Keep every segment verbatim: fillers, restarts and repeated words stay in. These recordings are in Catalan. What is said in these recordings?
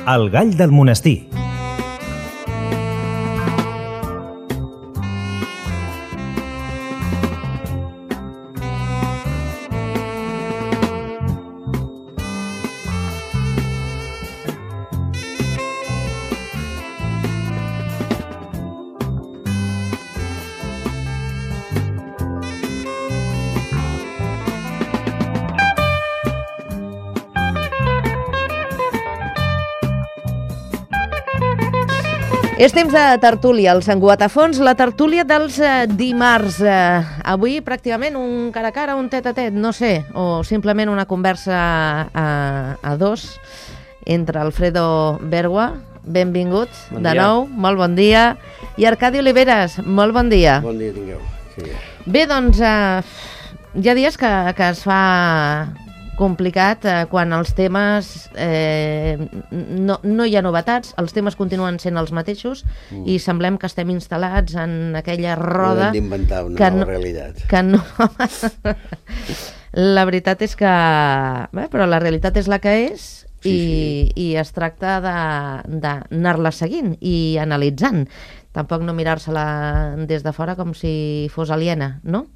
El gall del monestir. És temps de tertúlia, el Sant Cugat a fons, la tertúlia dels eh, dimarts. Eh, avui pràcticament un cara a cara, un tet a tet, no sé, o simplement una conversa a, a dos entre Alfredo Bergua, benvingut bon de nou, molt bon dia, i Arcadi Oliveres, molt bon dia. Bon dia tingueu. Sí. Bé, doncs, eh, hi ha dies que, que es fa complicat eh, quan els temes eh, no, no hi ha novetats, els temes continuen sent els mateixos mm. i semblem que estem instal·lats en aquella roda no hem d'inventar una que nova no, realitat que no... La veritat és que bé, però la realitat és la que és i, sí, sí. i es tracta d'anar-la seguint i analitzant, tampoc no mirar-se-la des de fora com si fos aliena, no?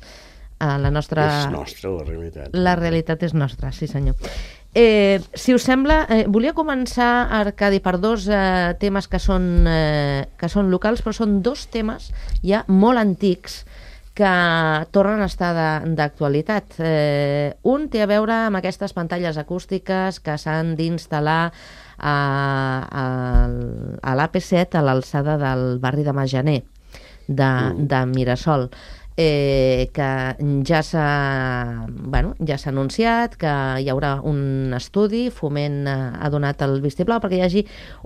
La nostra... És nostra, la realitat. La realitat és nostra, sí senyor. Eh, si us sembla, eh, volia començar, Arcadi, per dos eh, temes que són, eh, que són locals, però són dos temes ja molt antics que tornen a estar d'actualitat. Eh, un té a veure amb aquestes pantalles acústiques que s'han d'instal·lar a, a, a l'A P set, a l'alçada del barri de Majaner, de, mm. de Mirasol. Eh, que ja s'ha bueno, ja s'ha anunciat que hi haurà un estudi, Foment ha donat el vistiplau perquè hi hagi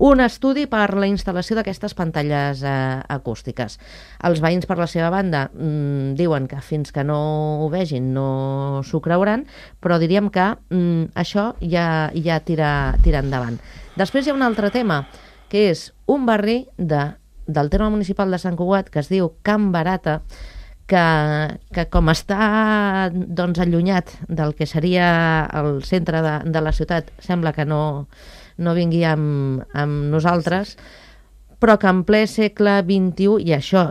un estudi per la instal·lació d'aquestes pantalles eh, acústiques. Els veïns, per la seva banda, mm, diuen que fins que no ho vegin no s'ho creuran, però diríem que mm, això ja, ja tira, tira endavant. Després hi ha un altre tema, que és un barri de, del terme municipal de Sant Cugat que es diu Can Barata, Que, que com està doncs, allunyat del que seria el centre de, de la ciutat, sembla que no, no vingui amb, amb nosaltres, però que en ple segle vint-i-u, i això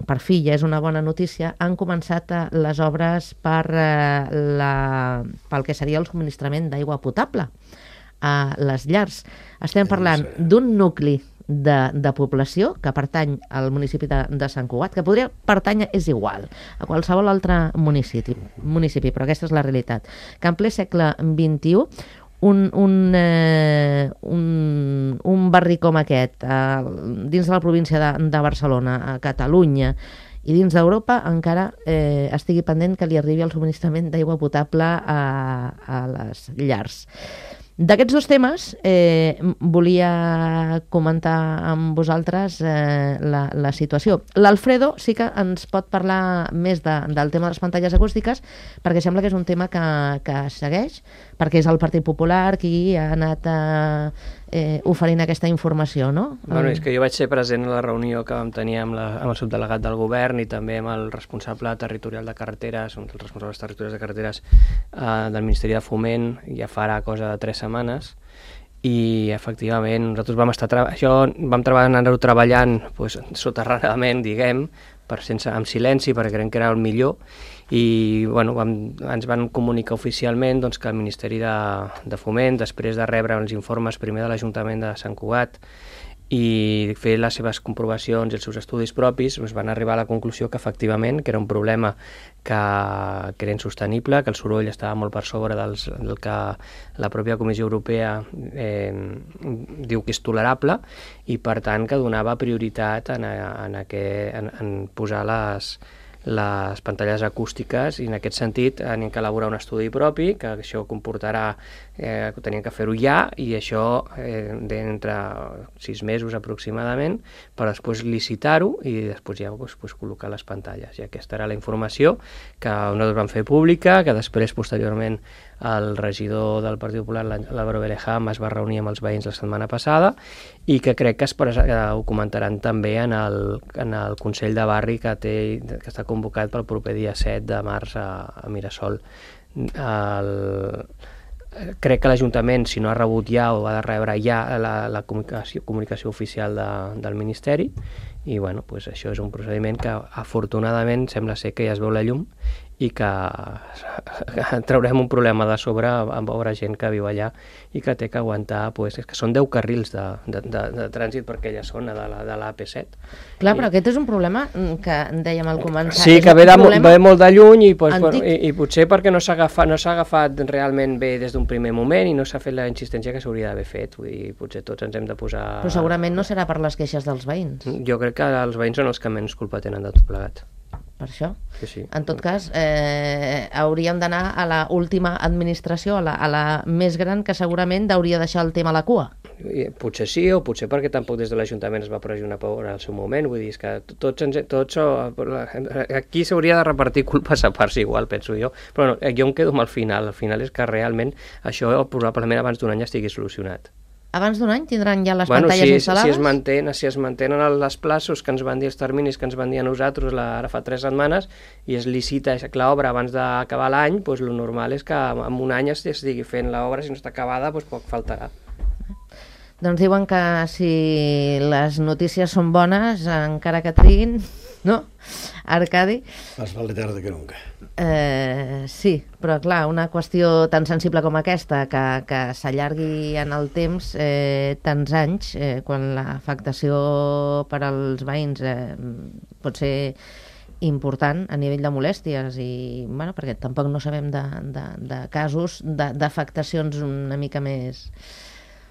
per fi ja és una bona notícia, han començat les obres per, eh, la, pel que seria el subministrament d'aigua potable a les llars. Estem parlant d'un nucli De, de població que pertany al municipi de, de Sant Cugat, que podria pertànyer, és igual, a qualsevol altre municipi, municipi, però aquesta és la realitat, que en ple segle vint-i-u un, un, eh, un, un barri com aquest, eh, dins de la província de, de Barcelona, a Catalunya i dins d'Europa, encara eh, estigui pendent que li arribi el subministrament d'aigua potable a, a les llars. D'aquests dos temes eh, volia comentar amb vosaltres eh, la, la situació. L'Alfredo sí que ens pot parlar més de, del tema de les pantalles acústiques, perquè sembla que és un tema que, que segueix, perquè és el Partit Popular qui ha anat eh, eh, oferint aquesta informació, no? Bueno, és que jo vaig ser present a la reunió que vam tenir amb, la, amb el subdelegat del govern i també amb el responsable territorial de carreteres, un dels responsables territorials de carreteres eh, del Ministeri de Foment, ja farà cosa de tres setmanes, i efectivament nosaltres vam estar això vam anar-ho treballant pues, soterradament, diguem, per sense, amb silenci, perquè creiem que era el millor, i bueno, vam, ens van comunicar oficialment doncs, que el Ministeri de, de Foment, després de rebre els informes primer de l'Ajuntament de Sant Cugat i fer les seves comprovacions i els seus estudis propis, doncs van arribar a la conclusió que efectivament que era un problema que, que era insostenible, que el soroll estava molt per sobre dels, del que la pròpia Comissió Europea eh, diu que és tolerable, i per tant que donava prioritat en, en, aquest, en, en posar les, les pantalles acústiques, i en aquest sentit tenim que elaborar un estudi propi, que això comportarà eh, que teníem que fer-ho ja, i això eh, d'entre sis mesos aproximadament, per després licitar-ho i després ja pues, pues, col·locar les pantalles. I aquesta era la informació que nosaltres vam fer pública, que després posteriorment el regidor del Partit Popular, l'Álvaro Belejam, es va reunir amb els veïns la setmana passada, i que crec que, es, que ho comentaran també en el, en el Consell de Barri que, té, que està convocat pel proper dia set de març a, a Mirasol. El, crec que l'Ajuntament, si no ha rebut ja o ha de rebre ja la, la comunicació, comunicació oficial de, del Ministeri, i bueno, pues això és un procediment que afortunadament sembla ser que ja es veu la llum i que traurem un problema de sobre amb veure gent que viu allà i que té que aguantar, pues, és que són deu carrils de, de, de, de trànsit per aquella zona de la, de l'A P set. Clar, però aquest és un problema que dèiem al començar. Sí, que ve, de, ve molt de lluny i, pues, per, i, i potser perquè no s'ha agafat, no s'ha agafat realment bé des d'un primer moment i no s'ha fet la insistència que s'hauria d'haver fet. Vull dir, potser tots ens hem de posar... Però segurament no serà per les queixes dels veïns. Jo crec que els veïns són els que menys culpa tenen de tot plegat. Per això. Sí, sí. En tot cas, eh, hauríem d'anar a la última administració, a la, a la més gran, que segurament hauria deixar el tema a la cua. I, potser sí, o potser perquè tampoc des de l'Ajuntament es va pressionar en el seu moment. Vull dir, és que tots, tots aquí s'hauria de repartir culpes a parts igual, penso jo. Però no, jo em quedo amb el final. El final és que realment això probablement abans d'un any estigui solucionat. Abans d'un any tindran ja les bueno, pantalles si, instal·lades? Si es, mantén, si es mantenen els plaços que ens van dir, els terminis que ens van dir a nosaltres la, ara fa tres setmanes, i es licita l'obra abans d'acabar l'any, doncs el normal és que en un any es estigui fent l'obra, si no està acabada, doncs poc faltarà. Doncs diuen que si les notícies són bones, encara que triguin, no? Arcadi? Més vale tarda que nunca. Eh, sí, però clar, una qüestió tan sensible com aquesta, que, que s'allargui en el temps eh, tants anys, eh, quan l'afectació per als veïns eh, pot ser important a nivell de molèsties, i bueno, perquè tampoc no sabem de, de, de casos d'afectacions una mica més...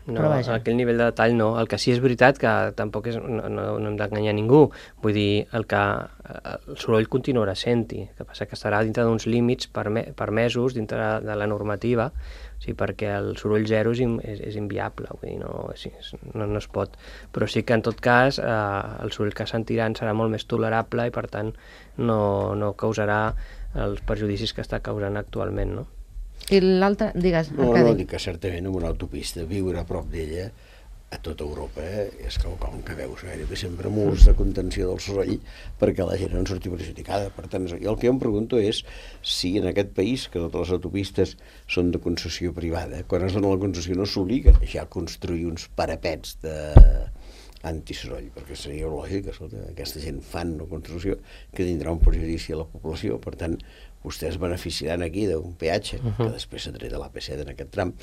No, a aquell nivell de detall no. El que sí és veritat que tampoc és, no, no, no hem d'enganyar ningú. Vull dir, el que el soroll continuarà sent-hi. El que passa que estarà dintre d'uns límits per, me, per mesos, dintre de la normativa, o sigui, perquè el soroll zero és, és, és inviable, vull dir, no, és, no, no es pot. Però sí que en tot cas eh, el soroll que sentiran serà molt més tolerable i per tant no, no causarà els perjudicis que està causant actualment, no? I l'altre, digues, no, Arcadi. No, dic que certament en una autopista viure a prop d'ella a tota Europa eh, és quelcom que veus gairebé sempre murs de contenció del soroll perquè la gent no en surti perjudicada. Per tant, jo el que jo em pregunto és si en aquest país, que totes les autopistes són de concessió privada, quan es dona la concessió no s'obliga ja a construir uns parapets de antisoroll, perquè seria lògic, escolta, aquesta gent fan una construcció que tindrà un perjudici a la població, per tant vostès beneficiaran aquí d'un peatge, uh -huh. que després s'ha tret de l'A P set en aquest tram,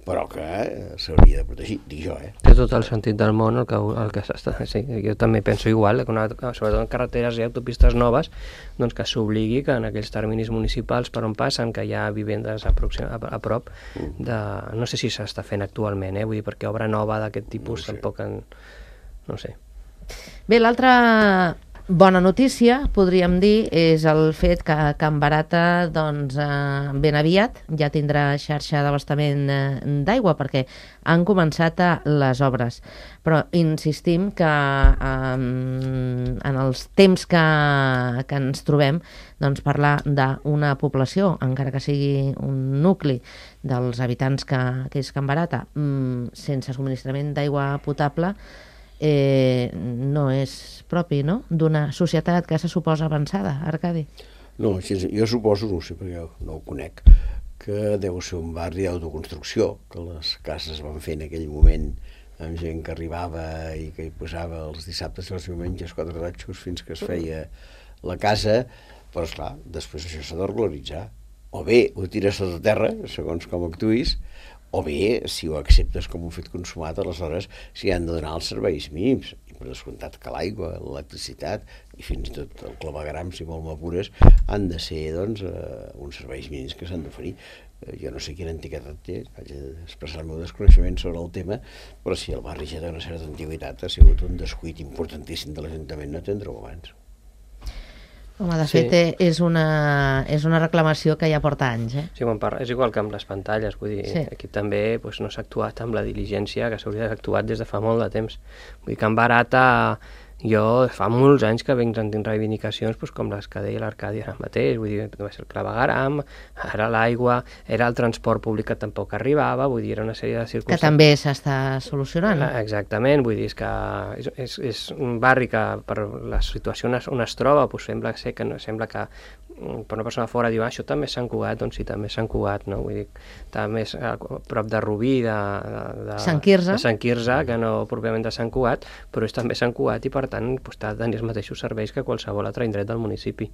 però que eh, s'hauria de protegir, dic jo, eh? Té tot el sentit del món el que, el que s'està... Sí, jo també penso igual, que una, sobretot en carreteres i autopistes noves, doncs que s'obligui que en aquells terminis municipals per on passen, que hi ha vivendes a, a, a prop, de, no sé si s'està fent actualment, eh? Vull dir, perquè obra nova d'aquest tipus no sé. Tampoc en... no sé. Bé, l'altra bona notícia, podríem dir, és el fet que Can Barata, doncs, eh, ben aviat ja tindrà xarxa d'abastament eh, d'aigua, perquè han començat a les obres. Però insistim que eh, en els temps que, que ens trobem, doncs parlar d'una població, encara que sigui un nucli dels habitants que, que és Can Barata, mm, sense subministrament d'aigua potable, Eh, no és propi, no?, d'una societat que se suposa avançada, Arcadi. No, jo suposo, no sé perquè no ho conec, que deu ser un barri d'autoconstrucció, que les cases van fer en aquell moment amb gent que arribava i que hi posava els dissabtes i els diumenges quatre ratxos fins que es feia la casa, però esclar, després això s'ha de regularitzar. O bé ho tires sota terra, segons com actuïs, o bé, si ho acceptes com un fet consumat, aleshores s'hi han de donar els serveis mínims, i per descomptat que l'aigua, l'electricitat i fins i tot el clavegram, si molt m'apures, han de ser, doncs, eh, uns serveis mínims que s'han d'oferir. Eh, jo no sé quina antiguitat té, vaig expressar el meu desconeixement sobre el tema, però si el barri ja té una certa antiguitat, ha sigut un descuit importantíssim de l'Ajuntament no atendre-ho abans. Home, de fet, sí. és, una, és una reclamació que ja porta anys, eh? Sí, quan parla, és igual que amb les pantalles, vull dir, sí. Aquí també doncs, no s'ha actuat amb la diligència que s'hauria d'haver actuat des de fa molt de temps. Vull dir, Can Barata Jo fa molts anys que venc sentint reivindicacions doncs, com les que deia l'Arcadi ara mateix, vull dir, va ser el clavegueram, ara l'aigua, era el transport públic que tampoc arribava, vull dir, era una sèrie de circumstàncies... Que també s'està solucionant. Exactament, vull dir, és que és, és, és un barri que per la situació on es, on es troba doncs sembla, ser que, no, sembla que per una persona fora diu, ah, això també és Sant Cugat, doncs sí, també és Sant Cugat, no? Vull dir, també és a prop de Rubí, de, de, de, Sant Quirze. de Sant Quirze, que no pròpiament de Sant Cugat, però és també Sant Cugat i per tant doncs, ha de tenir els mateixos serveis que qualsevol altre indret del municipi.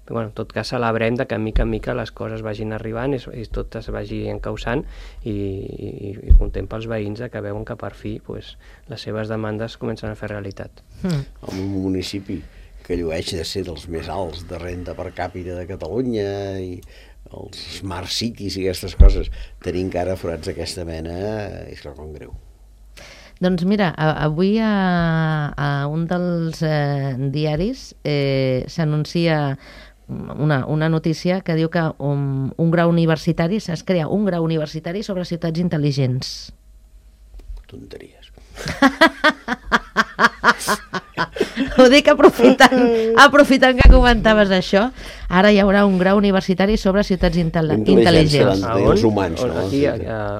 Però, bueno, en tot cas celebrem de que mica en mica les coses vagin arribant i, i tot es vagi encausant i, i, i content pels veïns que veuen que per fi pues, les seves demandes comencen a fer realitat. Mm. En un municipi que llueix de ser dels més alts de renda per càpita de Catalunya i els smart cities i aquestes coses, tenir encara forats d'aquesta mena és quelcom greu. Doncs mira, avui a, a un dels eh, diaris eh, s'anuncia una, una notícia que diu que un, un grau universitari, es crea un grau universitari sobre ciutats intel·ligents. Tonteries. Ho dic aprofitant, aprofitant que comentaves això. Ara hi haurà un grau universitari sobre ciutats intel·ligents. A on? Els humans, no? Aquí, a,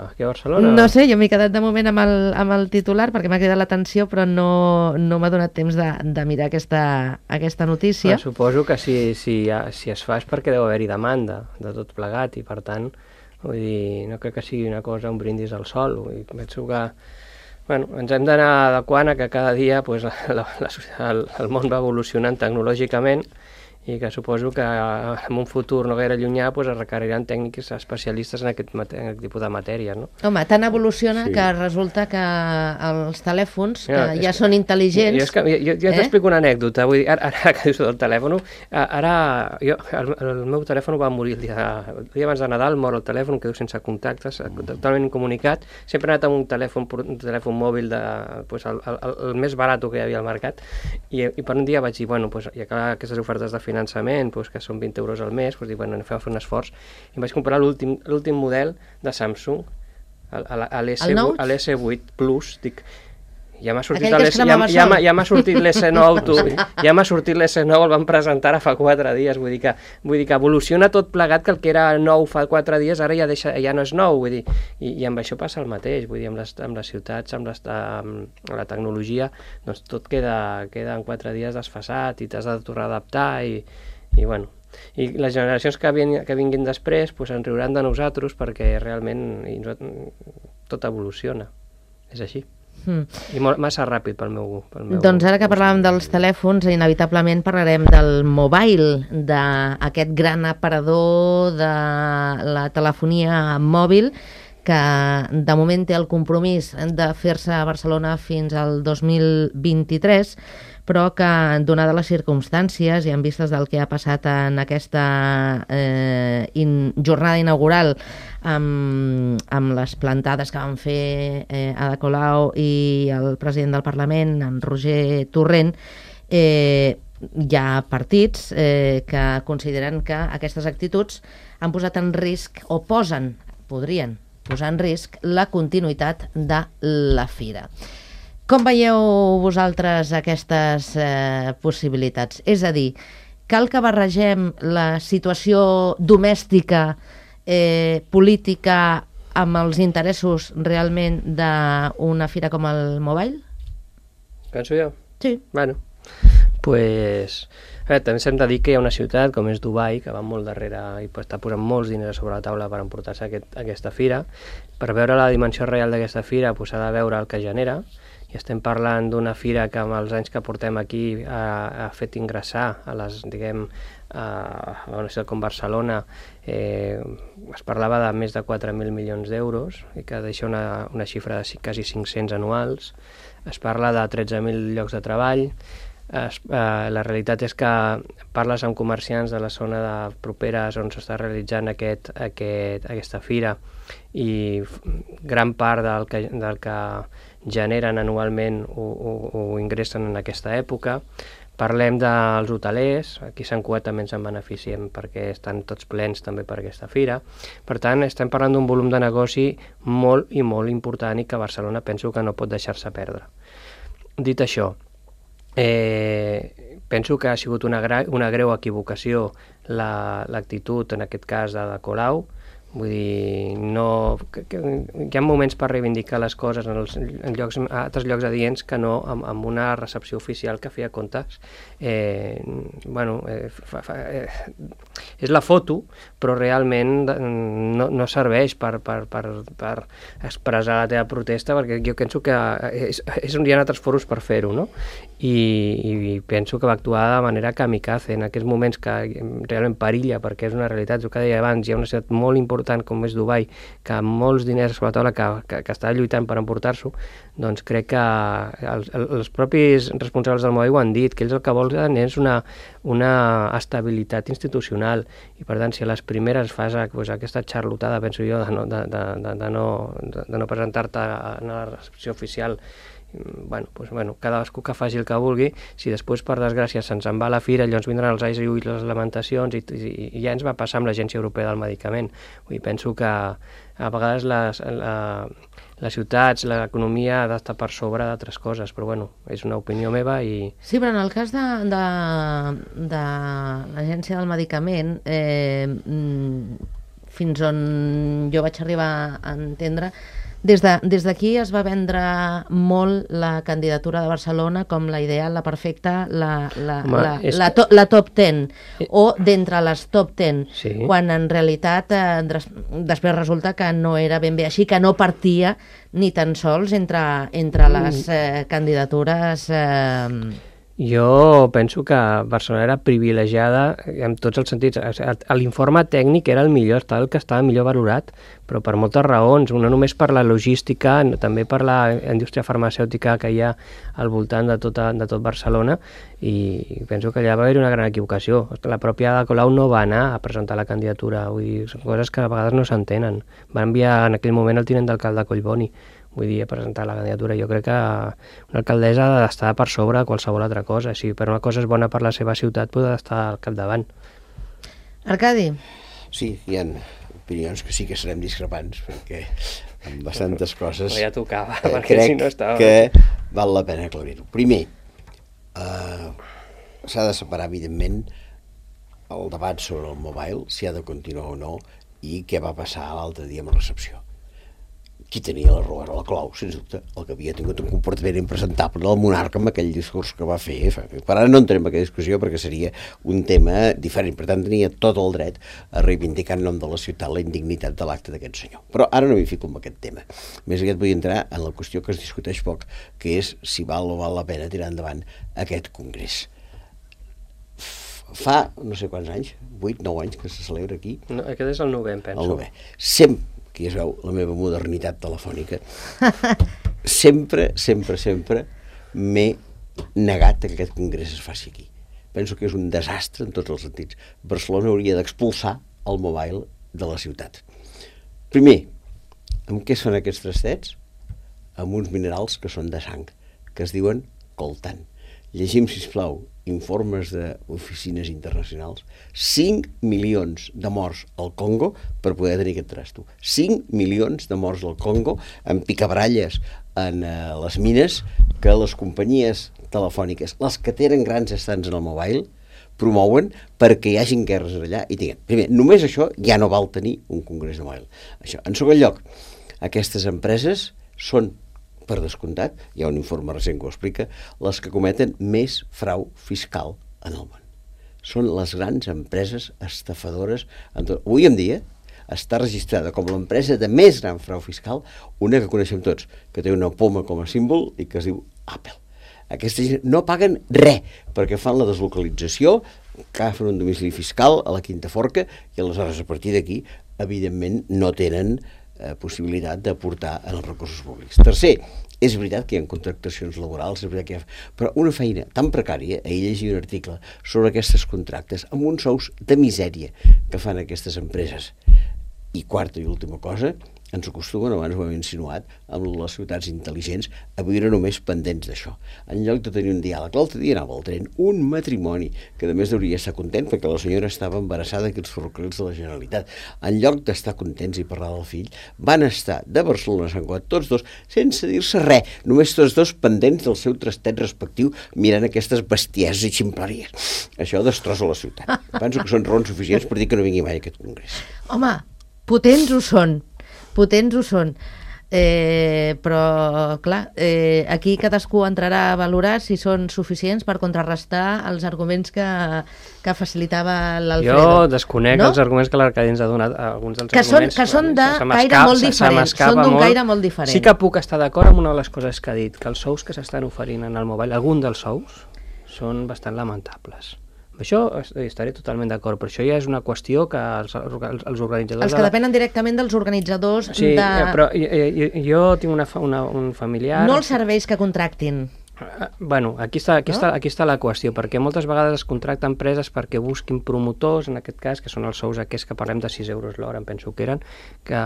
aquí a Barcelona? No sé, jo m'he quedat de moment amb el, amb el titular perquè m'ha cridat l'atenció, però no, no m'ha donat temps de, de mirar aquesta, aquesta notícia. Però suposo que si, si, si es fa és perquè deu haver-hi demanda de tot plegat i per tant, vull dir, no crec que sigui una cosa, un brindis al sol. Vull dir, penso que bueno, ens hem d'anar adequant a que cada dia pues, la, la, el, el món va evolucionant tecnològicament i que suposo que en un futur no gaire llunyà pues, es requeriran tècnics especialistes en aquest, en aquest tipus de matèries. No? Home, tant evoluciona sí. que resulta que els telèfons que ja, ja són intel·ligents... Jo, que, jo, jo eh? t'explico una anècdota. Vull dir, ara, ara que dius del telèfon, ara jo, el, el meu telèfon va morir el dia, el dia abans de Nadal, mor el telèfon, quedo sense contactes, totalment incomunicat. Sempre he anat amb un telèfon, un telèfon mòbil de, pues, el, el, el més barat que hi havia al mercat i, i per un dia vaig dir, bueno, pues, ja que aquestes ofertes de finançament finançament, doncs, que són vint euros al mes, doncs dic, bueno, anem a fer un esforç. I em vaig comprar l'últim model de Samsung, l'S vuit Plus, dic, ja m'ha sortit l'S nou, ja, ja, ja m'ha sortit l'S nou, tu, ja m'ha sortit l'S nou, el van presentar ara fa quatre dies, vull dir que, vull dir que evoluciona tot plegat, que el que era nou fa quatre dies ara ja, deixa, ja no és nou, vull dir, i, i amb això passa el mateix, vull dir, amb les, amb les ciutats, amb, les, amb la tecnologia, doncs tot queda, queda en quatre dies desfasat i t'has de tornar a adaptar i, i bueno, i les generacions que, vin, que vinguin després pues, en riuran de nosaltres perquè realment i, tot evoluciona, és així. Mm. I molt, massa ràpid pel meu, pel meu... Doncs ara que parlàvem dels telèfons, inevitablement parlarem del mobile, d'aquest gran aparador de la telefonia mòbil que de moment té el compromís de fer-se a Barcelona fins al dos mil vint-i-tres, però que, donades les circumstàncies i en vistes del que ha passat en aquesta eh, in, jornada inaugural amb, amb les plantades que van fer eh, Ada Colau i el president del Parlament, en Roger Torrent, eh, hi ha partits eh, que consideren que aquestes actituds han posat en risc, o posen, podrien posar en risc, la continuïtat de la fira. Com veieu vosaltres aquestes eh, possibilitats? És a dir, cal que barregem la situació domèstica, eh, política, amb els interessos realment d'una fira com el Mobile? Penso jo? Sí. Bueno, pues... Eh, també s'hem de dir que hi ha una ciutat com és Dubai, que va molt darrere i està posant molts diners sobre la taula per emportar-se aquest, aquesta fira. Per veure la dimensió real d'aquesta fira s'ha pues, de veure el que genera, i estem parlant d'una fira que amb els anys que portem aquí ha, ha fet ingressar a les, diguem, a, a una ciutat com Barcelona, eh, es parlava de més de quatre mil milions d'euros i que deixa una, una xifra de quasi cinc-cents anuals. Es parla de tretze mil llocs de treball. Es, eh, la realitat és que parles amb comerciants de la zona de properes on s'està realitzant aquest, aquest, aquesta fira i gran part del que, del que generen anualment o, o, o ingressen en aquesta època. Parlem dels hotelers, aquí a Sant Cugat també ens en beneficiem perquè estan tots plens també per aquesta fira. Per tant, estem parlant d'un volum de negoci molt i molt important i que Barcelona penso que no pot deixar-se perdre. Dit això, Eh, penso que ha sigut una, gra una greu equivocació l'actitud, la, en aquest cas, de, de Colau. Vull dir, no, que, que, hi ha moments per reivindicar les coses en, els, en llocs, altres llocs adients que no amb, amb una recepció oficial que feia comptes. Eh, bueno, eh, fa, fa, eh, és la foto, però realment no, no serveix per, per, per, per expressar la teva protesta, perquè jo penso que és, és on hi ha altres foros per fer-ho, no? I, i penso que va actuar de manera kamikaze en aquests moments que realment perilla, perquè és una realitat, el que deia abans, hi ha una ciutat molt important com és Dubai, que amb molts diners sobre la taula que, que, que està lluitant per emportar-s'ho, doncs crec que els, els propis responsables del Mobile ho han dit, que ells el que volen és una, una estabilitat institucional, i per tant si a les primeres fas pues, aquesta xarlotada, penso jo, de no, de, de, de, de no, de, de no presentar-te a la recepció oficial, bueno, pues, bueno, cadascú que faci el que vulgui, si després per desgràcia se'ns en va a la fira, llavors vindran els ais i les lamentacions i, i, i ja ens va passar amb l'Agència Europea del Medicament. Vull dir, penso que a vegades les, la, les ciutats, l'economia ha d'estar per sobre d'altres coses, però bueno, és una opinió meva i... Sí, però en el cas de, de, de l'Agència del Medicament, eh, fins on jo vaig arribar a entendre, Des d'aquí de, es va vendre molt la candidatura de Barcelona com la ideal, la perfecta, la, la, Home, la, és... la, to, la top ten, o d'entre les top ten, sí. Quan en realitat eh, després resulta que no era ben bé així, que no partia ni tan sols entre, entre les eh, candidatures... Eh, Jo penso que Barcelona era privilegiada en tots els sentits. L'informe tècnic era el millor, estava el que estava millor valorat, però per moltes raons, una només per la logística, també per la indústria farmacèutica que hi ha al voltant de, tota, de tot Barcelona, i penso que allà va haver una gran equivocació. La pròpia Ada Colau no va anar a presentar la candidatura, vull dir, són coses que a vegades no s'entenen. Va enviar en aquell moment el tinent d'alcalde Collboni, vull dir, a presentar la candidatura. Jo crec que una alcaldessa ha d'estar per sobre de qualsevol altra cosa. Si per una cosa és bona per la seva ciutat, pot estar al capdavant. Arcadi? Sí, hi ha opinions que sí que serem discrepants, perquè amb bastantes coses... Però ja tocava, eh, perquè crec si no estava... que val la pena aclarir-ho. Primer, eh, s'ha de separar, evidentment, el debat sobre el mobile, si ha de continuar o no, i què va passar l'altre dia amb la recepció. Qui tenia la raó era la Colau, sens dubte, el que havia tingut un comportament impresentable del monarca amb aquell discurs que va fer. Per ara no entrem en aquella discussió perquè seria un tema diferent, per tant tenia tot el dret a reivindicar en nom de la ciutat la indignitat de l'acte d'aquest senyor. Però ara no m'hi fico en aquest tema. Més aviat vull entrar en la qüestió que es discuteix poc, que és si val o val la pena tirar endavant aquest congrés. Fa no sé quants anys, vuit, nou anys que se celebra aquí. No, aquest és el novè, em penso. El novè. Sempre, que ja es veu la meva modernitat telefònica, sempre, sempre, sempre m'he negat que aquest congrés es faci aquí. Penso que és un desastre en tots els sentits. Barcelona hauria d'expulsar el mobile de la ciutat. Primer, amb què són aquests trastets? Amb uns minerals que són de sang, que es diuen coltan. Llegim, sisplau, informes d'oficines internacionals. cinc milions de morts al Congo per poder tenir aquest trasto. cinc milions de morts al Congo amb picabaralles en uh, les mines que les companyies telefòniques, les que tenen grans estants en el mobile, promouen perquè hi hagin guerres allà i tinguem. Primer, només això ja no val tenir un congrés de mobile. Això. En segon lloc, aquestes empreses són, per descomptat, hi ha un informe recent que ho explica, les que cometen més frau fiscal en el món. Són les grans empreses estafadores. En tot. Avui en dia està registrada com l'empresa de més gran frau fiscal, una que coneixem tots, que té una poma com a símbol i que es diu Apple. Aquesta gent no paguen res perquè fan la deslocalització, agafen un domicili fiscal a la Quinta Forca i aleshores a partir d'aquí, evidentment, no tenen Eh, possibilitat d'aportar en els recursos públics. Tercer, és veritat que hi ha contractacions laborals, és veritat que hi ha... però una feina tan precària, ahir llegia un article sobre aquests contractes, amb uns sous de misèria que fan aquestes empreses. I quarta i última cosa, ens acostumen, abans ho hem insinuat, amb les ciutats intel·ligents, a viure només pendents d'això. En lloc de tenir un diàleg, l'altre dia anava al tren, un matrimoni, que a més hauria estar content perquè la senyora estava embarassada d'aquests ferrocarrils de la Generalitat. En lloc d'estar contents i parlar del fill, van estar de Barcelona a Sant Cugat, tots dos, sense dir-se res, només tots dos pendents del seu trastet respectiu, mirant aquestes bestieses i ximpleries. Això destrossa la ciutat. Penso que són raons suficients per dir que no vingui mai a aquest congrés. Home, potents ho són. Potents ho són, eh, però clar, eh, aquí cadascú entrarà a valorar si són suficients per contrarrestar els arguments que, que facilitava l'Alfredo. Jo desconec no? els arguments que l'Arcadi ens ha donat, alguns dels que arguments... Són, que són de caire molt diferent, són d'un caire molt diferent. Sí que puc estar d'acord amb una de les coses que ha dit, que els sous que s'estan oferint en el mobile, algun dels sous, són bastant lamentables. Això estaré totalment d'acord, però això ja és una qüestió que els, els organitzadors... Els que depenen directament dels organitzadors sí, de... Sí, però jo, jo tinc una, una, un familiar... No els serveis que contractin. Bueno, aquí està, aquí, no? està, aquí està la qüestió, perquè moltes vegades es contracten empreses perquè busquin promotors, en aquest cas, que són els sous aquests que parlem de sis euros l'hora, em penso que eren, que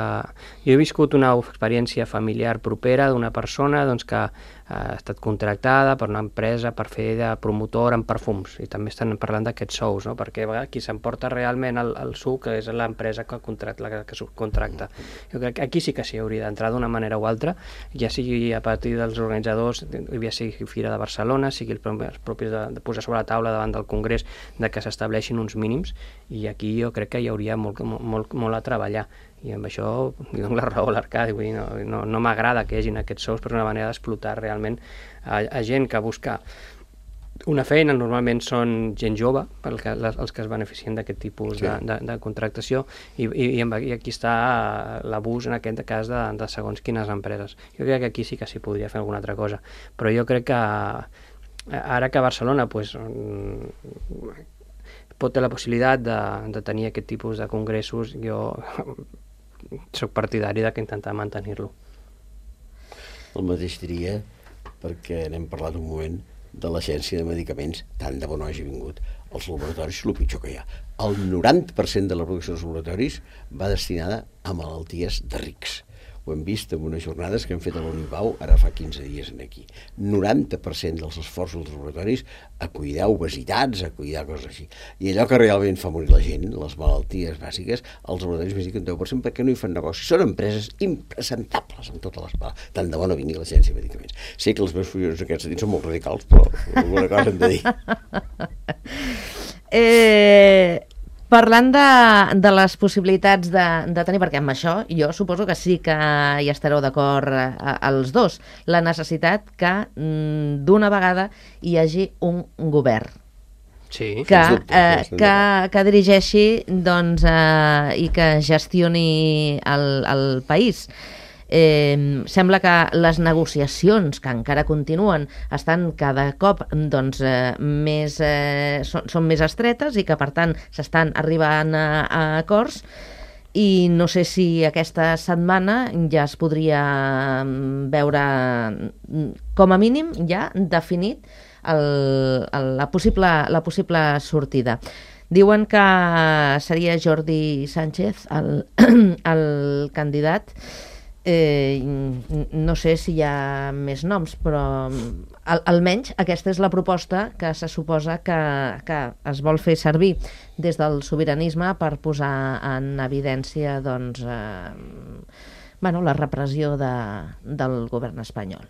jo he viscut una experiència familiar propera d'una persona doncs, que ha estat contractada per una empresa per fer de promotor en perfums, i també estan parlant d'aquests sous, no? Perquè qui s'emporta realment el, el suc és l'empresa que contracta, la que subcontracta. Jo crec que aquí sí que s'hi hauria d'entrar d'una manera o altra, ja sigui a partir dels organitzadors, ja sigui Fira de Barcelona, sigui els propis de, de posar sobre la taula davant del Congrés de que s'estableixin uns mínims, i aquí jo crec que hi hauria molt, molt, molt a treballar. I amb això li dono la raó a l'Arcadi, vull dir, no, no, no m'agrada que hi hagin aquests sous, però és una manera d'explotar realment a, a gent que busca una feina, normalment són gent jove, el que, les, els que es beneficien d'aquest tipus sí. de, de, de contractació, i, i, i aquí està l'abús en aquest cas de, de segons quines empreses. Jo crec que aquí sí que s'hi podria fer alguna altra cosa, però jo crec que ara que Barcelona pues, pot tenir la possibilitat de, de tenir aquest tipus de congressos, jo soc partidari de que intentar mantenir-lo. El mateix diria, perquè n'hem parlat un moment, de l'Agència de Medicaments, tant de bo no hagi vingut. Els laboratoris és el pitjor que hi ha. El noranta per cent de la producció dels laboratoris va destinada a malalties de rics. Ho hem vist en unes jornades que hem fet a l'Unipau ara fa quinze dies aquí. noranta per cent dels esforços dels laboratoris a cuidar obesitats, a cuidar coses així. I allò que realment fa morir la gent, les malalties bàsiques, els laboratoris més diuen un deu per cent perquè no hi fan negoci. Són empreses impresentables en totes les parts. Tant de bo no vingui l'Agència de Medicaments. Sé que els meus fulls aquests dits són molt radicals, però alguna cosa hem de dir. eh... Parlant de, de les possibilitats de, de tenir, perquè amb això jo suposo que sí que hi estareu d'acord els dos, la necessitat que d'una vegada hi hagi un govern sí, que, eh, que, que dirigeixi doncs, eh, i que gestioni el, el país. Eh, sembla que les negociacions que encara continuen estan cada cop doncs, eh, més, eh, són, són més estretes i que per tant s'estan arribant a, a acords, i no sé si aquesta setmana ja es podria veure com a mínim ja definit el, el, la, possible, la possible sortida. Diuen que seria Jordi Sánchez el, el candidat. Eh, no sé si hi ha més noms, però al, almenys aquesta és la proposta que se suposa que, que es vol fer servir des del sobiranisme per posar en evidència doncs, eh, bueno, la repressió de, del govern espanyol.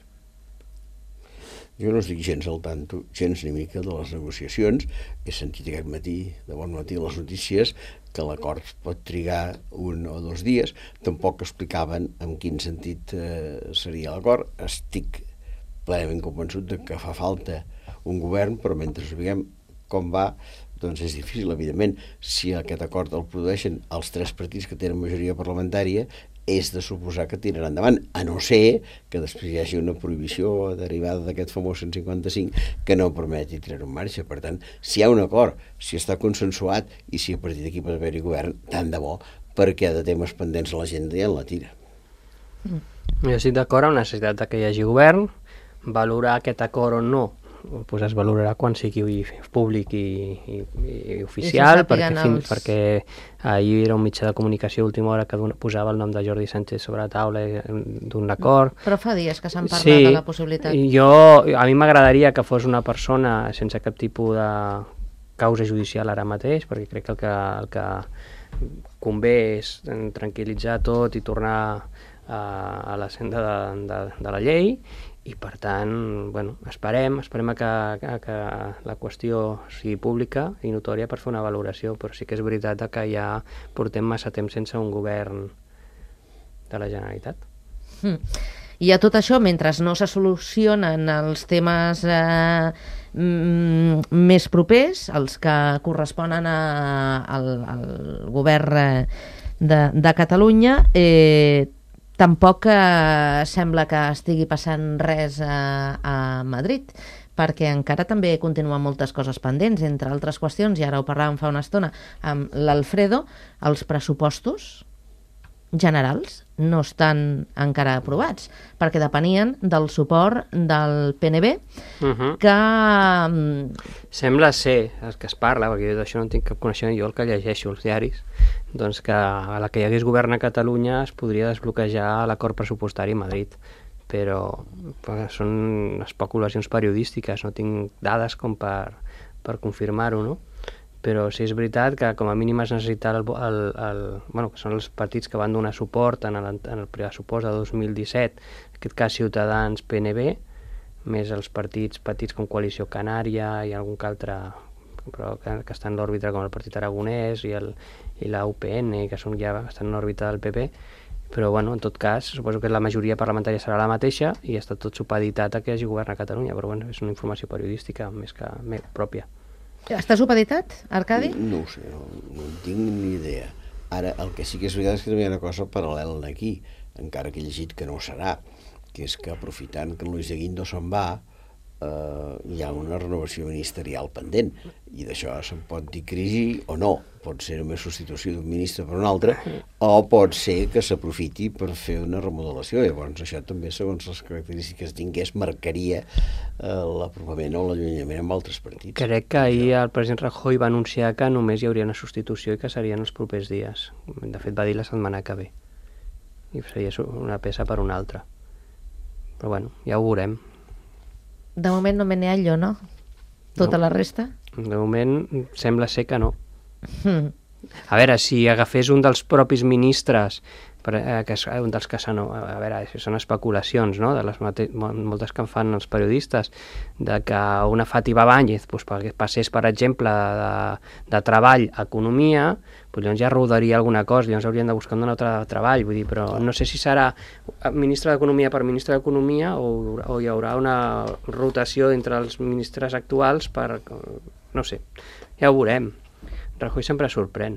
Jo no estic gens al tanto, gens ni mica de les negociacions. He sentit aquest matí, de bon matí, les notícies que l'acord pot trigar un o dos dies. Tampoc explicaven en quin sentit eh, seria l'acord. Estic plenament convençut de que fa falta un govern, però mentre sapiguem com va, doncs és difícil, evidentment. Si aquest acord el produeixen els tres partits que tenen majoria parlamentària, és de suposar que tiraran endavant, a no ser que després hi hagi una prohibició derivada d'aquest famós cent cinquanta-cinc que no permeti tirar-ho en marxa. Per tant, si hi ha un acord, si està consensuat i si a partir d'aquí pot haver-hi govern, tant de bo, perquè de temes pendents a l'agenda ja en la tira. Jo estic d'acord amb la necessitat que hi hagi govern, valorar aquest acord o no pues es valorarà quan sigui públic i, i, i oficial, perquè, fins, els... perquè ahir era un mitjà de comunicació a última hora que posava el nom de Jordi Sánchez sobre la taula d'un acord. Però fa dies que s'han parlat sí, de la possibilitat. Jo, a mi m'agradaria que fos una persona sense cap tipus de causa judicial ara mateix, perquè crec que el que, el que convé és tranquil·litzar tot i tornar a, a la senda de, de, de la llei, i per tant, bueno, esperem, esperem a que, a que la qüestió sigui pública i notòria per fer una valoració, però sí que és veritat que ja portem massa temps sense un govern de la Generalitat. Mm. I a tot això, mentre no se solucionen els temes eh, mm, més propers, els que corresponen a, al, al govern de, de Catalunya, eh, tampoc eh, sembla que estigui passant res a, a Madrid, perquè encara també continuen moltes coses pendents, entre altres qüestions, i ara ho parlàvem fa una estona amb l'Alfredo, els pressupostos generals no estan encara aprovats, perquè depenien del suport del P N B, uh-huh. que... Sembla ser, el que es parla, perquè jo d'això no tinc cap coneixement, jo el que llegeixo els diaris, doncs que a la que hi hagués govern a Catalunya es podria desbloquejar l'acord pressupostari a Madrid, però són especulacions periodístiques, no tinc dades com per, per confirmar-ho, no? Però sí és veritat que com a mínim es necessita el, el, el, bueno, que són els partits que van donar suport en el, en el pressupost de dos mil disset, en aquest cas Ciutadans, P N B, més els partits petits com Coalició Canària i algun que altre, però que, que està en l'òrbita com el Partit Aragonès i, el, i la U P N, que són ja estan en l'òrbita del P P, però bueno, en tot cas, suposo que la majoria parlamentària serà la mateixa i està tot supeditat a que hi hagi govern a Catalunya, però bueno, és una informació periodística més que més pròpia. Està supeditat, Arcadi? No, no ho sé, no, no en tinc ni idea. Ara, el que sí que és veritat és que també hi ha una cosa paral·lela aquí, encara que he llegit que no ho serà, que és que aprofitant que en Luis de Guindos se'n va, eh, hi ha una renovació ministerial pendent, i d'això se'n pot dir crisi o no. Pot ser només substitució d'un ministre per un altre, o pot ser que s'aprofiti per fer una remodelació. Llavors això també, segons les característiques tingués, marcaria eh, l'apropament o l'allunyament amb altres partits. Crec que ahir el president Rajoy va anunciar que només hi hauria una substitució i que serien els propers dies. De fet, va dir la setmana que ve. I seria una peça per una altra. Però bueno, ja ho veurem. De moment no me n'hi ha allò, no? Tota no. La resta? De moment sembla ser que no. Hmm. A veure, si agafés un dels propis ministres, per, eh, que és un dels que són, a veure, són especulacions, no?, de les mate- moltes que en fan els periodistes, de que una Fàtima Báñez pues, passés, per exemple, de, de treball a economia, pues, llavors ja rodaria alguna cosa, llavors haurien de buscar un altre treball, vull dir, però no sé si serà ministre d'Economia per ministre d'Economia o, o hi haurà una rotació entre els ministres actuals per... no sé, ja ho veurem. Rajoy sempre sorprèn.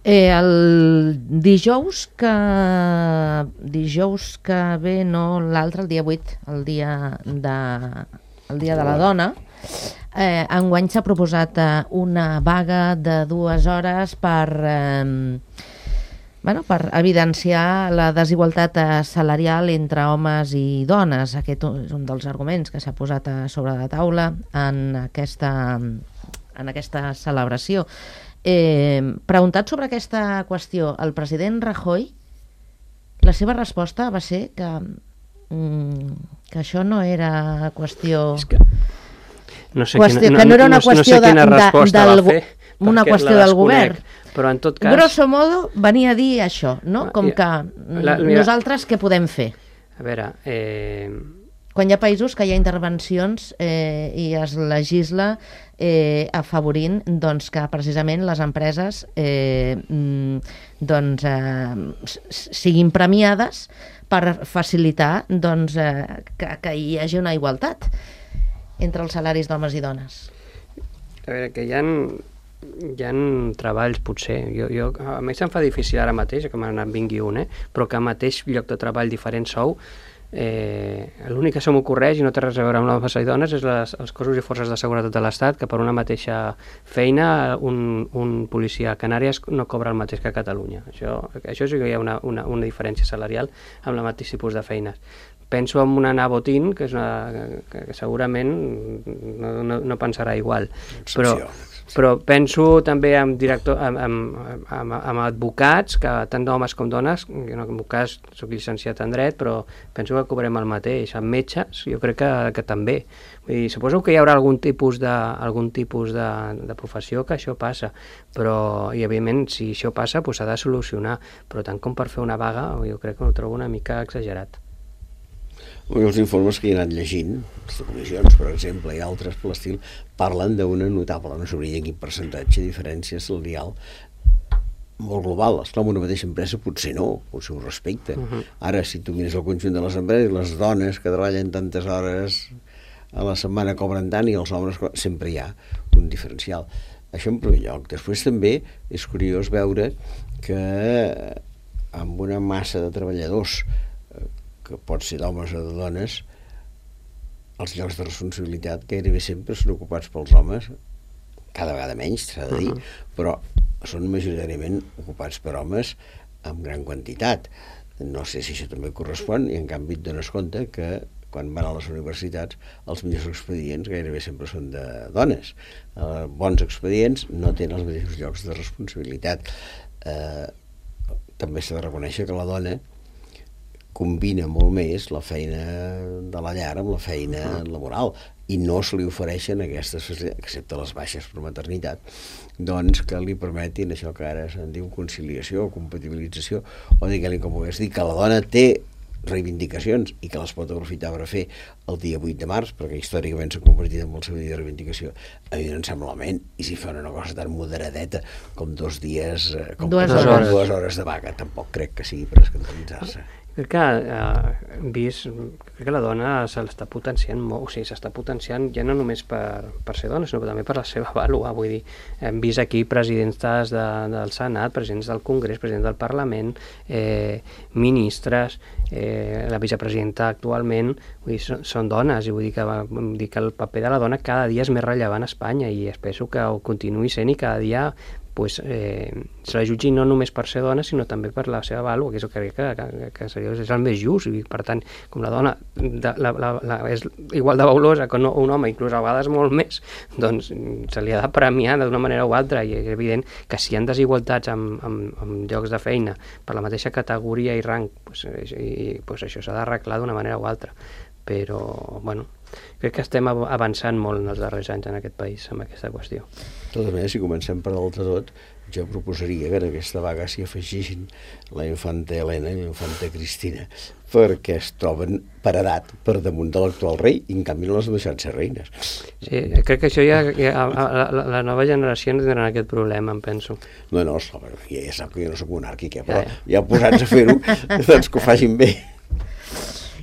Eh, el dijous que dijous que ve, no l'altre, el dia vuit, el dia de, el dia de la dona, eh, enguany s'ha proposat eh, una vaga de dues hores per, eh, bueno, per evidenciar la desigualtat salarial entre homes i dones. Aquest és un dels arguments que s'ha posat a sobre la taula en aquesta en aquesta celebració. Eh, preguntat sobre aquesta qüestió, el president Rajoy, la seva resposta va ser que, mm, que això no era qüestió... És que no sé qüestió quina, no, que no era una no, qüestió no sé de, resposta de, del, va fer, una qüestió del govern. Però en tot cas... Grosso modo, venia a dir això, no? Com que la, mira, nosaltres què podem fer? A veure... Eh... Quan hi ha països que hi ha intervencions eh, i es legisla eh, afavorint doncs, que precisament les empreses eh, doncs, eh, siguin premiades per facilitar doncs, eh, que, que hi hagi una igualtat entre els salaris d'homes i dones. A veure, que hi ha, hi ha treballs, potser. Jo, jo, a mi se'm fa difícil ara mateix, que me'n vingui un, eh? Però que al mateix lloc de treball diferent sou, Eh, l'únic que se m'ocorreix i no té res a veure amb homes i dones és les, els cossos i forces de seguretat de l'Estat, que per una mateixa feina un, un policia a Canàries no cobra el mateix que a Catalunya. Això, això sí que hi ha una, una, una diferència salarial amb el mateix tipus de feines, penso en una Ana Botín, que, és una, que, que segurament no, no, no pensarà igual. Però, però penso també en, director, en, en, en, en advocats, que tant d'homes com dones, jo no, en el cas soc llicenciat en dret, però penso que cobrem el mateix. En metges, jo crec que, que també. Vull dir, suposo que hi haurà algun tipus de, algun tipus de, de professió que això passa, però, i evidentment, si això passa, doncs s'ha de solucionar, però tant com per fer una vaga, jo crec que ho trobo una mica exagerat. Els informes que he anat llegint, les comissions, per exemple, i altres per l'estil, parlen d'una notable, no sabria quin percentatge de diferència salarial molt global. Esclar, en una mateixa empresa potser no, potser ho respecta. Uh-huh. Ara, si tu mires el conjunt de les empreses, les dones que treballen tantes hores a la setmana cobren tant i els homes sempre hi ha un diferencial. Això en primer lloc. Després també és curiós veure que amb una massa de treballadors que pot ser d'homes o de dones, els llocs de responsabilitat gairebé sempre són ocupats pels homes, cada vegada menys, s'ha de dir, uh-huh. però són majoritàriament ocupats per homes amb gran quantitat. No sé si això també correspon, i en canvi et dones compte que quan van a les universitats els millors expedients gairebé sempre són de dones. Eh, bons expedients no tenen els mateixos llocs de responsabilitat. Eh, també s'ha de reconèixer que la dona combina molt més la feina de la llar amb la feina laboral i no se li ofereixen aquestes facilitats, excepte les baixes per maternitat, doncs que li permetin això que ara se'n diu conciliació o compatibilització, o diguem-li com vulguis dir, que la dona té reivindicacions i que les pot aprofitar per fer el dia vuit de març, perquè històricament s'ha convertit en el seu dia de reivindicació. A mi no em sembla malament, i si fa una cosa tan moderadeta com dos dies, com dues, com hores. dues hores de vaga, tampoc crec que sigui per escandalitzar-se. Crec que eh, hem vist, crec que la dona se l'està potenciant molt, o sigui, s'està potenciant ja no només per, per ser dona, sinó també per la seva vàlua, vull dir, hem vist aquí presidents de, del Senat, presidents del Congrés, presidents del Parlament, eh, ministres, eh, la vicepresidenta actualment, vull dir, són, són dones, i vull dir que, vull dir que el paper de la dona cada dia és més rellevant a Espanya, i espero que ho continuï sent i cada dia pues, eh, se la jutgi no només per ser dona, sinó també per la seva vàlua, que és el que, que, que, que seria, és el més just, i per tant, com la dona de, la, la, la, és igual de valuosa que no, un home, inclús a vegades molt més, doncs se li ha de premiar d'una manera o altra, i és evident que si hi ha desigualtats amb, amb, amb llocs de feina per la mateixa categoria i rang, pues, i, pues això s'ha d'arreglar d'una manera o altra, però, bueno, crec que estem avançant molt en els darrers anys en aquest país amb aquesta qüestió. De totes maneres, si comencem per dalt de tot, jo proposaria que en aquesta vaga s'hi afegeixin la infanta Helena i la infanta Cristina, perquè es troben per edat per damunt de l'actual rei, i en canvi no les han deixat ser reines. Sí, crec que això ja, ja la, la, la nova generació no tindran aquest problema, em penso. No, no, ja, ja sap que jo no soc monàrquic, eh, però ja, ja. ja posats a fer-ho, doncs que ho facin bé.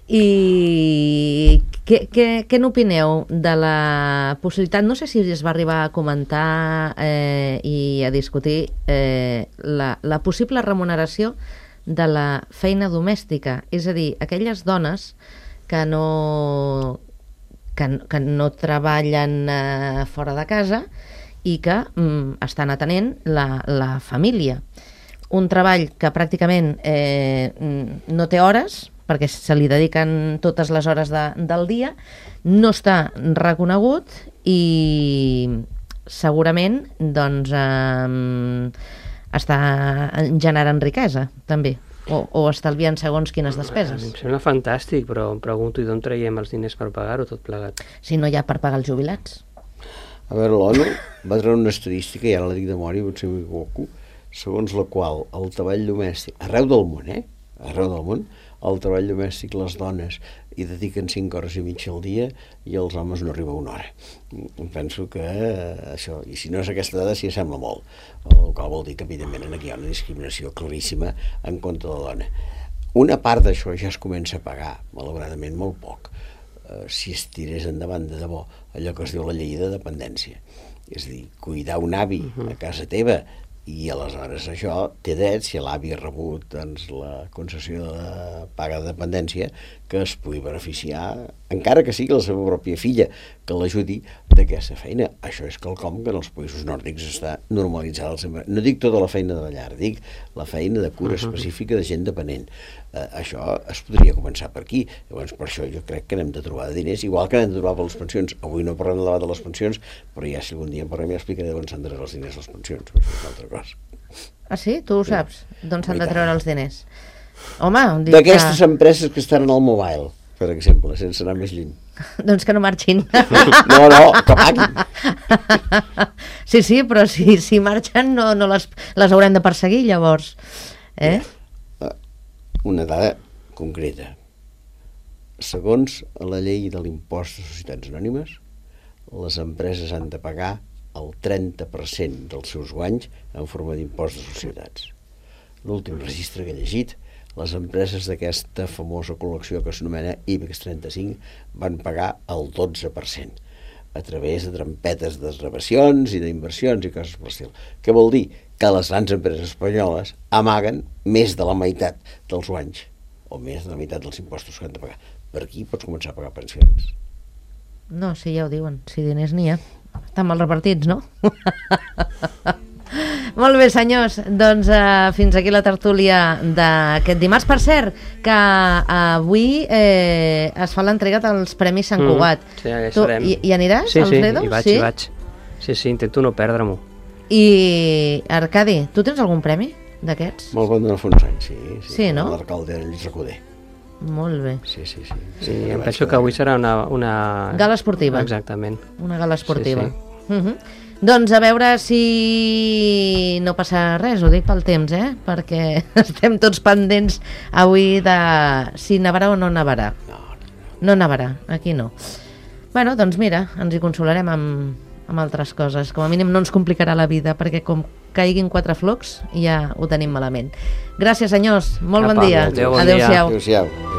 I què, què, què n'opineu de la possibilitat, no sé si es va arribar a comentar eh, i a discutir eh, la, la possible remuneració de la feina domèstica, és a dir, aquelles dones que no, que, que no treballen eh, fora de casa i que mm, estan atenent la, la família. Un treball que pràcticament eh, no té hores, perquè se li dediquen totes les hores de, del dia, no està reconegut i segurament doncs, eh, està generant riquesa, també, o, o estalviant segons quines despeses. Em sembla fantàstic, però em pregunto i d'on traiem els diners per pagar-ho tot plegat? Si no hi ha per pagar els jubilats. A veure, l'ONU va treure una estadística, i ara la dic de memòria, potser m'equivoco, segons la qual el treball domèstic, arreu del món, eh? Arreu del món, el treball domèstic, les dones hi dediquen cinc hores i mitja al dia i els homes no arriba a una hora. Penso que eh, això, i si no és aquesta dada, sí sembla molt, el qual vol dir que evidentment aquí hi ha una discriminació claríssima en contra de la dona. Una part d'això ja es comença a pagar, malauradament molt poc, eh, si es tirés endavant de debò allò que es diu la llei de dependència. És a dir, cuidar un avi a casa teva, i aleshores això té dret, si l'avi ha rebut doncs, la concessió de paga de dependència, que es pugui beneficiar encara que sigui la seva pròpia filla que l'ajudi d'aquesta feina. Això és quelcom que en els països nòrdics està normalitzada. No dic tota la feina de la llar, dic la feina de cura específica de gent dependent. Eh, això es podria començar per aquí. Llavors, per això jo crec que n'hem de trobar de diners, igual que n'hem de trobar per les pensions. Avui no parlem de debat de les pensions, però ja si algun dia en parlem ja explicaré d'on s'han de treure els diners a les pensions. Això és una altra cosa. Ah, sí? Tu ho saps? D'on s'han de treure els diners? Home, dic que... D'aquestes empreses que estan en el mobile, per exemple, sense anar més lluny. Doncs que no marxin. No, no, que paguin. Sí, sí, però si, si marxen no, no les, les haurem de perseguir, llavors. Eh? Una dada concreta. Segons la llei de l'impost de societats anònimes, les empreses han de pagar el trenta per cent dels seus guanys en forma d'impost de societats. L'últim registre que he llegit, les empreses d'aquesta famosa col·lecció que s'anomena IBEX trenta-cinc van pagar el dotze per cent a través de trampetes de desgravacions i d'inversions i coses per l'estil. Què vol dir? Que les grans empreses espanyoles amaguen més de la meitat dels guanys o més de la meitat dels impostos que han de pagar. Per aquí pots començar a pagar pensions. No, sí, ja ho diuen, si diners n'hi ha. Estan mal repartits, no? Molt bé, senyors, doncs uh, fins aquí la tertúlia d'aquest dimarts. Per cert, que uh, avui eh, es fa l'entrega dels Premis Sant Cugat. Mm, sí, ja tu, serem. hi, hi aniràs, sí, als sí, dedos? hi vaig, sí, hi vaig. Sí, sí, intento no perdre-m'ho. I, Arcadi, tu tens algun premi d'aquests? Me'l van donar fa uns anys, sí. Sí, sí, no? L'alcalde Lluís Recoder. Molt bé. Sí, sí, sí. Sí, sí em penso que avui serà una, una... Gala esportiva. Exactament. Una gala esportiva. Sí, sí. Uh -huh. Doncs a veure si no passa res, ho dic pel temps, eh? Perquè estem tots pendents avui de si nevarà o no nevarà. No, no, no. No nevarà, aquí no. Bueno, doncs mira, ens hi consolarem amb, amb altres coses. Com a mínim no ens complicarà la vida, perquè com caiguin quatre flocs ja ho tenim malament. Gràcies, senyors. Molt Apa, bon dia. adéu, bon Adéu-siau. Adéu-siau.